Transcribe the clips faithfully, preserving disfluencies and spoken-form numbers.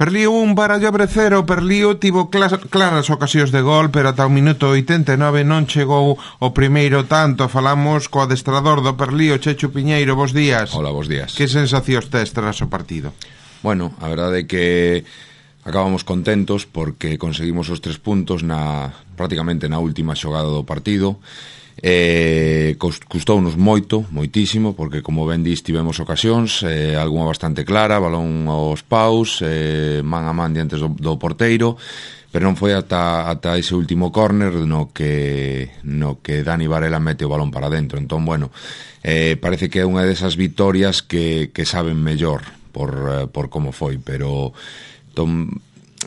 Perlío un Barallobre cero, Perlío tivo clas, claras ocasións de gol, pero ata o minuto oitenta e nove non chegou o primeiro tanto. Falamos co adestrador do Perlío, Chechu Piñeiro. Bos días. Hola, bos días. Que sensacións tes tras o partido? Bueno, a verdade é que acabamos contentos porque conseguimos os tres puntos na prácticamente na última xogada do partido. Eh, custounos moito, moitísimo, porque como ben dis tivemos ocasións, eh, algunha bastante clara, balón aos paus, eh, man a man diante do, do porteiro, pero non foi ata, ata ese último córner no que no que Dani Varela mete o balón para dentro. Entón, bueno, eh, parece que é unha desas vitorias que, que saben mellor por, eh, por como foi, pero tom,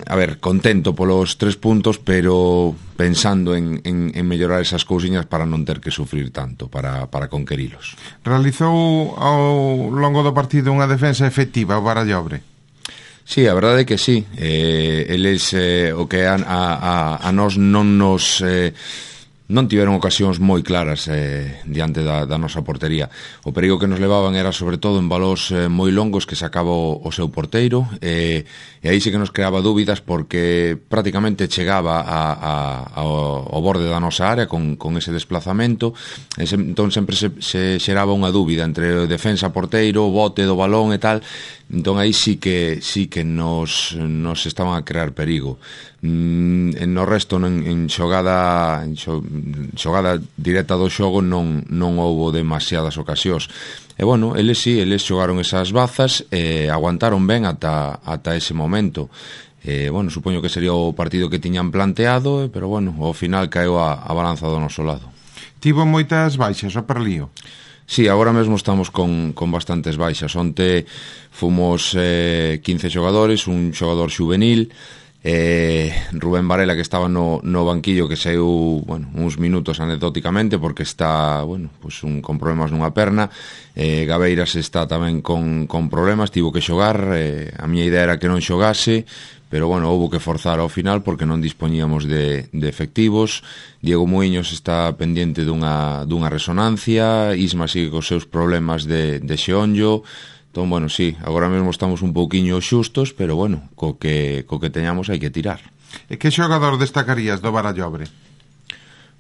a ver, contento polos tres puntos, pero pensando en, en, en mellorar esas cousiñas para non ter que sufrir tanto, para, para conquerilos. Realizou ao longo do partido unha defensa efectiva o Barallobre? Sí, a verdade é que sí. Eh, eles, eh, o que a, a, a nós non nos... Eh, non tiveron ocasións moi claras eh, diante da, da nosa portería. O perigo que nos levaban era sobre todo en balóns eh, moi longos que sacaba o, o seu porteiro, eh, e aí sí que nos creaba dúbidas porque prácticamente chegaba a, a, ao, ao borde da nosa área con, con ese desplazamento, e se, entón sempre se, se xeraba unha dúbida entre defensa, porteiro, bote do balón e tal. Entón aí sí que sí que nos, nos estaban a crear perigo. Mm, no resto, en, en xogada en xogada directa do xogo non, non houbo demasiadas ocasións. E bueno, eles sí, eles xogaron esas bazas e aguantaron ben ata, ata ese momento. E, bueno, supoño que sería o partido que tiñan planteado, pero bueno, ao final caeu a, a balanza do noso lado. Tivo moitas baixas o Perlío? Sí, agora mesmo estamos con, con bastantes baixas. Onte fomos eh, quince xogadores, un xogador xuvenil, eh, Rubén Varela, que estaba no, no banquillo, que saiu, bueno, uns minutos anecdóticamente porque está, bueno, pues un, con problemas nunha perna. eh, Gabeiras está tamén con, con problemas, tivo que xogar. eh, a miña idea era que non xogase, pero bueno, houbo que forzar ao final porque non dispoñíamos de, de efectivos. Diego Muiños está pendiente dunha, dunha resonancia, Isma sigue cos seus problemas de, de xeonllo. Entón, bueno, sí, agora mesmo estamos un pouquiño xustos, pero bueno, co que, co que teñamos hai que tirar. E que xogador destacarías do Barallobre?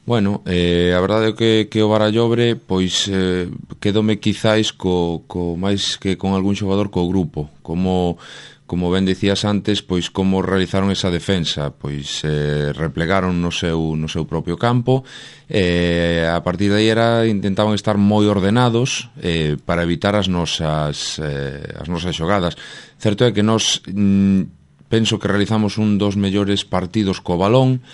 Bueno, eh, a verdade é que, que o Barallobre, pois, eh, quedome quizáis co, co máis que con algún xogador co grupo, como... Como ben dicías antes, pois como realizaron esa defensa, pois eh, replegaron no seu, no seu propio campo, e eh, a partir de aí era, intentaban estar moi ordenados eh, para evitar as nosas, eh, as nosas xogadas. Certo é que nós mm, penso que realizamos un dos mellores partidos co balón,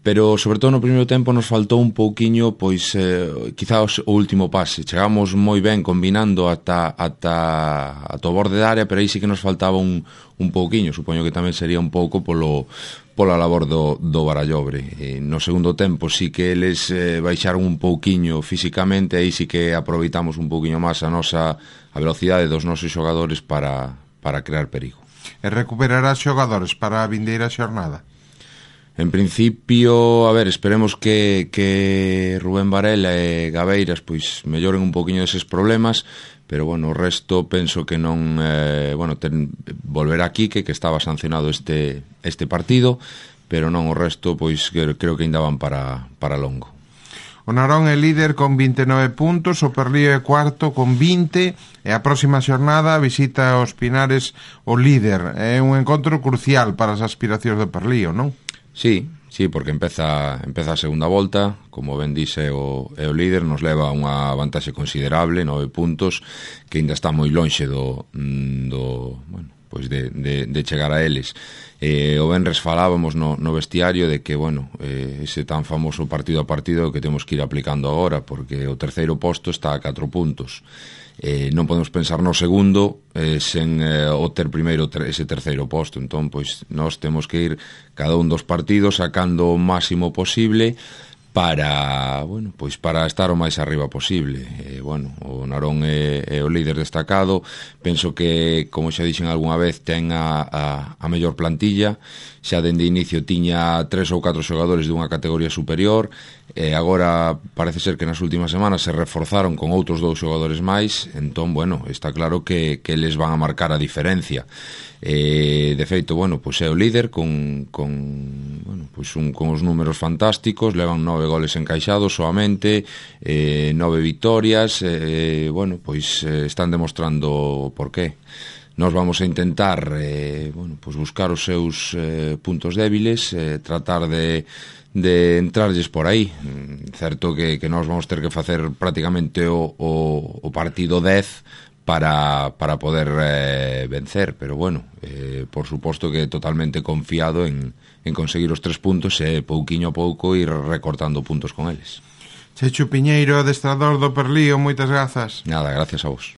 pero sobre todo no primeiro tempo nos faltou un pouquiño, pois eh, quizás o último pase. Chegamos moi ben combinando ata, ata, ata o borde da área, pero aí sí que nos faltaba un, un pouquiño. Supoño que tamén sería un pouco polo, pola labor do, do Barallobre. E no segundo tempo sí que eles eh, baixaron un pouquiño físicamente, aí sí que aproveitamos un pouquiño máis a nosa a velocidade dos nosos xogadores para, para crear perigo. E recuperarás xogadores para a vindeira xornada? En principio, a ver, esperemos que, que Rubén Varela e Gabeiras pois melloren un poquinho eses problemas, pero bueno, o resto penso que non, eh, bueno, ten, volverá Quique, que estaba sancionado este, este partido, pero non o resto, pois creo, creo que ainda van para, para longo. O Narón é líder con vinte e nove puntos, o Perlío é cuarto con vinte, e a próxima xornada visita os Pinares o líder. É un encontro crucial para as aspiracións do Perlío, non? Sí, sí, porque empeza empeza a segunda volta, como ben dixe o, é o líder, nos leva unha vantaxe considerable, nove puntos, que ainda está moi lonxe do, do bueno, pois de, de, de chegar a eles. Eh, o venres falábamos no, no vestiario de que, bueno, eh, ese tan famoso partido a partido que temos que ir aplicando agora, porque o terceiro posto está a catro puntos. Eh, non podemos pensar no segundo eh, sen eh, o ter primeiro ter, ese terceiro posto. Entón, pois, nós temos que ir cada un dos partidos sacando o máximo posible para, bueno, pois para estar o máis arriba posible. Eh, bueno, o Narón é, é o líder destacado. Penso que, como xa dixen algunha vez, ten a, a, a mellor plantilla. Xa dende inicio tiña tres ou catro xogadores dunha categoría superior, e agora parece ser que nas últimas semanas se reforzaron con outros dous xogadores máis. Entón, bueno, está claro que, que les van a marcar a diferencia. eh, de feito, bueno, pois é o líder con, con, bueno, pois un, con os números fantásticos, levan nove goles encaixados soamente, eh, nove victorias, eh, bueno, pois eh, están demostrando por qué. Nos vamos a intentar eh, bueno, pois buscar os seus eh, puntos débiles, eh, tratar de de entrarlles por aí. Certo que, que nós vamos ter que facer prácticamente o, o, o partido dez para, para poder eh, vencer, pero bueno, eh, por suposto que totalmente confiado en, en conseguir os tres puntos e pouquiño a pouco ir recortando puntos con eles. Chechu Piñeiro, adestrador do Perlío, moitas grazas. Nada, gracias a vos.